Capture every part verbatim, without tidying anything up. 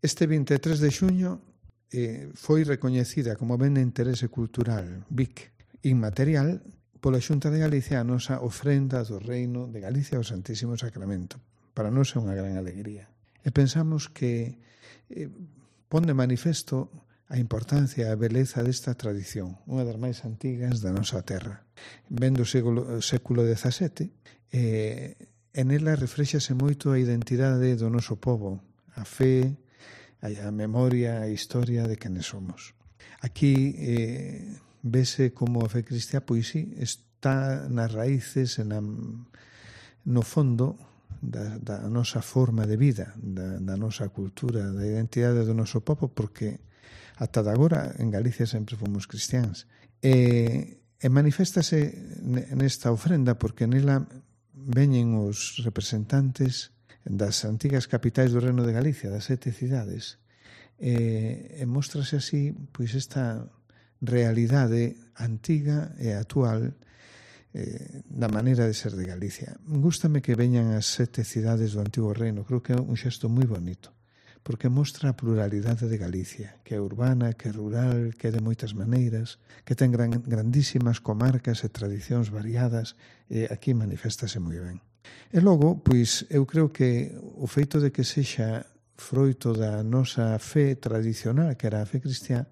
Este vinte e tres de xuño eh, foi recoñecida como ben de interese cultural B I C inmaterial pola Xunta de Galicia a nosa ofrenda do Reino de Galicia ao Santísimo Sacramento. Para nós é unha gran alegría. E pensamos que eh, pon de manifesto a importancia e a beleza desta tradición, unha das máis antigas da nosa terra. Ven do século, século dezasete, e en ela refrexase moito a identidade do noso povo, a fe, a memoria, a historia de quenes somos. Aquí eh, vese como a fe cristiá, pois sí, está nas raíces, na, no fondo da, da nosa forma de vida, da, da nosa cultura, da identidade do noso povo, porque ata de agora en Galicia sempre fomos cristiáns. E, e maniféstase nesta ofrenda porque nela veñen os representantes das antigas capitais do Reino de Galicia, das sete cidades, e, e mostrase así pois esta realidade antiga e actual eh, da maneira de ser de Galicia. Gústame que veñan as sete cidades do Antigo Reino, creo que é un xesto moi bonito, porque mostra a pluralidade de Galicia, que é urbana, que é rural, que é de moitas maneiras, que ten gran, grandísimas comarcas e tradicións variadas, e aquí maniféstase moi ben. E logo, pois, eu creo que o feito de que sexa froito da nosa fe tradicional, que era a fe cristiá,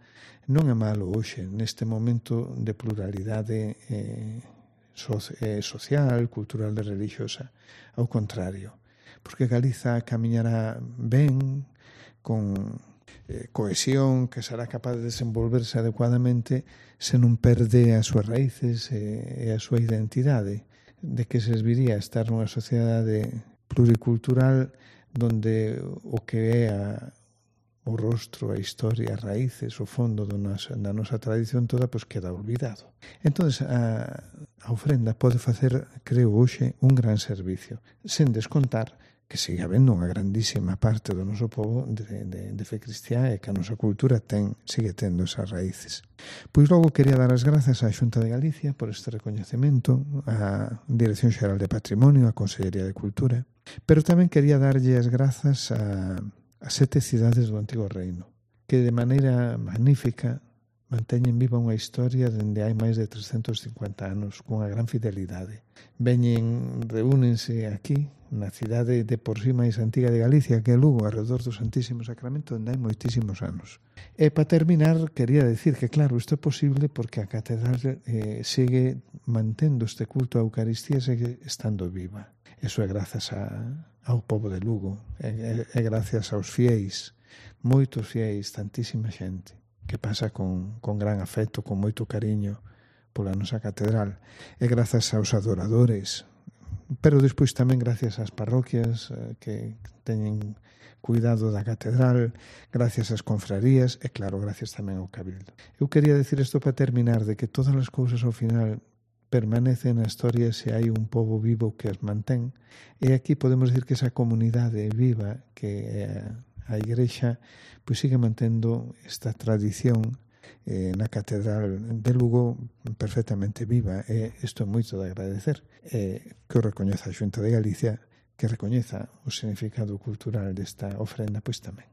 non é malo hoxe, neste momento de pluralidade eh, so, eh, social, cultural e religiosa. Ao contrario, porque Galiza camiñará ben, con eh, cohesión, que será capaz de desenvolverse adecuadamente se non perde as súas raíces e, e a súa identidade, de que se serviría estar nunha sociedade pluricultural donde o que é a, o rostro, a historia, as raíces, o fondo do nosa, da nosa tradición toda, pois queda olvidado. Entón, a, a ofrenda pode facer, creo hoxe, un gran servicio, sen descontar que sigue habendo unha grandísima parte do noso povo de, de, de fe cristiá e que a nosa cultura ten, sigue tendo esas raíces. Pois logo quería dar as grazas á Xunta de Galicia por este recoñecemento, á Dirección Xeral de Patrimonio, á Consellería de Cultura, pero tamén quería darlle as grazas a, a sete cidades do Antigo Reino, que de maneira magnífica manteñen viva unha historia dende hai máis de trescentos cincuenta anos, cunha gran fidelidade. Veñen, reúnense aquí, na cidade de por sí máis antiga de Galicia, que é Lugo, alrededor do Santísimo Sacramento, onde hai moitísimos anos. E para terminar, quería decir que, claro, isto é posible porque a catedral eh, sigue mantendo este culto a Eucaristía, segue estando viva. Eso é grazas a, ao povo de Lugo, é, é, é gracias aos fiéis, moitos fiéis, tantísima xente, que pasa con, con gran afecto, con moito cariño pola nosa catedral, e grazas aos adoradores, pero despois tamén gracias ás parroquias eh, que teñen cuidado da catedral, gracias ás confrarías e, claro, gracias tamén ao Cabildo. Eu quería decir isto para terminar, de que todas as cousas ao final permanecen na historia se hai un pobo vivo que as mantén, e aquí podemos decir que esa comunidade viva que é a Igrexa, pois sigue mantendo esta tradición eh, na Catedral de Lugo perfectamente viva, e isto é moito de agradecer, eh, que o recoñeza a Xunta de Galicia, que recoñeza o significado cultural desta ofrenda, pois tamén.